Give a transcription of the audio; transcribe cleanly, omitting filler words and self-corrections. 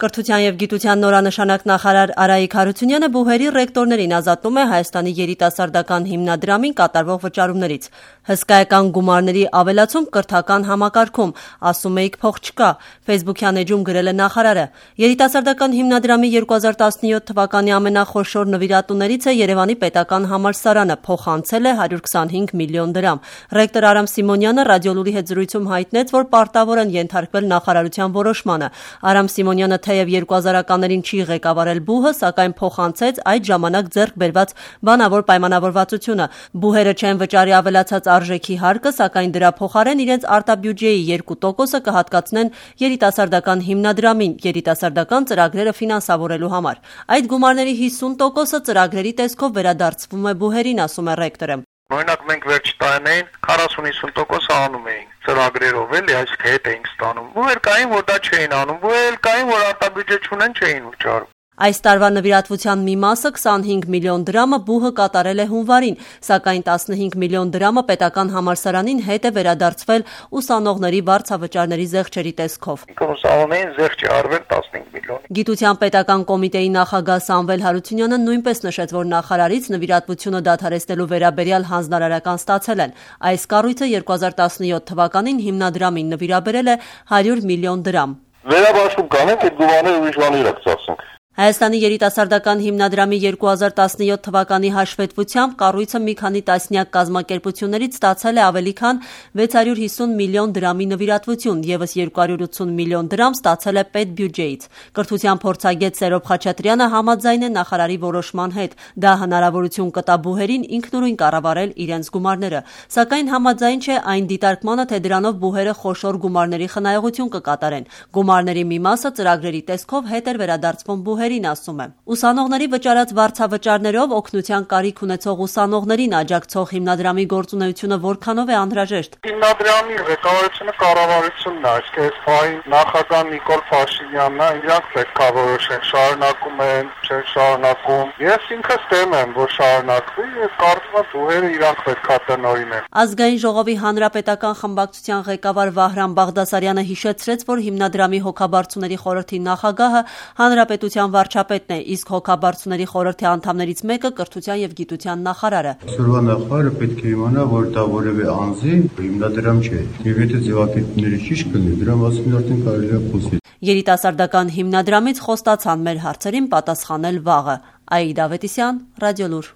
Կրթության և գիտության նորանշանակ նախարար Արայիկ Հարությունյանը բուհերի ռեկտորներին ազատում է Հայաստանի երիտասարդական հիմնադրամին կատարվող վճարումներից։ Հսկայական գումարների ավելացում կրթական համակարգում, ասում էիք փող չկա, ֆեյսբուքյան էջում գրել է նախարարը։ Երիտասարդական հիմնադրամի 2017 թվականի ամենախոշոր նվիրատուներից է Երևանի պետական համալսարանը, փոխանցել է 125 միլիոն դրամ։ Ռեկտոր Արամ Սիմոնյանը Ռադիոլուրի հետ զրույցում հայտնեց, որ պարտավոր են ենթարկվել նախարարության որոշմանը։ Արամ Սիմոնյանը թեև 2000-ականներին չի ղեկավարել բուհը, սակայն փոխանցեց այդ ժամանակ ձեռք բերված բանավոր պայմանավորվածությունը։ Բուհերը չեն վճարի ավելացած արժեքի հարկը, սակայն դրա փոխարեն իրենց արտաբյուջեի 2%-ը կհատկացնեն երիտասարդական հիմնադրամին երիտասարդական ծրագրերը ֆինանսավորելու համար։ Այդ գումարների 50%-ը ծրագրերի տեսքով վերադարձվում է բուհերին, ասում է ռեկտորը։ Օրինակ մենք վերջ տարիներին 40-50% անում էինք ծրագրերով, էլի, այսինքն հետ էինք ստանում։ Բուհեր կային, որ դա չէին անում, բուհեր կային, որ արտաբյուջե չունեն, չէին վճարում։ Այս տարվա նվիրատվության մի մասը 25 միլիոն դրամը բուհը կատարել է հունվարին, սակայն 15 միլիոն դրամը պետական համալսարանին հետ է վերադարձվել ուսանողների վարձավճարների զեղչերի տեսքով։ Ուսանողներին զեղչ է արվել 15 միլիոն։ Գիտության պետական կոմիտեի նախագահ Սամվել Հարությունյանը նույնպես նշեց, որ նախարարից նվիրատվությունը դադարեցնելու վերաբերյալ հանձնարարական ստացել են։ Այս կառույցը 2017 թվականին հիմնադրամին նվիրաբերել է 100 միլիոն դրամ։ Վերաբաշխում կանենք, այդ գումարները ուրիշ բաներ կծախսենք։ Հայաստանի երիտասարդական հիմնադրամի 2017 թվականի հաշվետվությամբ կառույցը մի քանի տասնյակ կազմակերպություններից ստացել է ավելի քան 650 միլիոն դրամի նվիրատվություն, ևս 280 միլիոն դրամ ստացել է պետբյուջեից։ Կրթության փորձագետ Սերոբ Խաչատրյանը համաձայն է նախարարի որոշման հետ։ Դա հնարավորություն կտա բուհերին ինքնուրույն կառավարել իրենց գումարները, սակայն համաձայն չէ այն դիտարկմանը, թե դրանով բուհերը խոշոր գումարների խնայողություն կկատարեն։ Գումարների մի մասը ծրագրերի տեսքով հետ էր վերադարձվում բուհերին, ասում է։ Ուսանողների վճարած վարձավճարներով օգնության կարիք ունեցող ուսանողներին աջակցող հիմնադրամի գործունեությունը որքանով է անհրաժեշտ։ Հիմնադրամի ղեկավարությունը կառավարությունն է, այսինքն այս նախագահ Նիկոլ Փաշինյանն է, իրանք պետք է որոշեն, շարունակում են, չեն շարունակում։ Ես ինքս դեմ եմ, որ շարունակվի, եւ կարծում եմ բուհերը իրանք պետք է տնօրինեն։ Ազգային ժողովի հանրապետական խմբակցության ղեկավար Վահրամ Բաղդասարյանը հիշեցրեց, որ հիմնադրամի հոգաբարձուների խորհրդի նախագահը հանրապետության վարչապետն է, իսկ հոգաբարձուների խորհրդի անդամներից մեկը կրթության և գիտության նախարարը։ Այսօրվա նախարարը պետք է իմանա, որ դա որևէ անձի հիմնադրամ չէ։ Եվ եթե ձևակերպումները ճիշտ կլինի, դրա մասին արդեն կարելի է խոսել։ Երիտասարդական հիմնադրամից խոստացան մեր հարցերին պատասխանել վաղը։ Աիդա Ավետիսյան, Ռադիոլուր։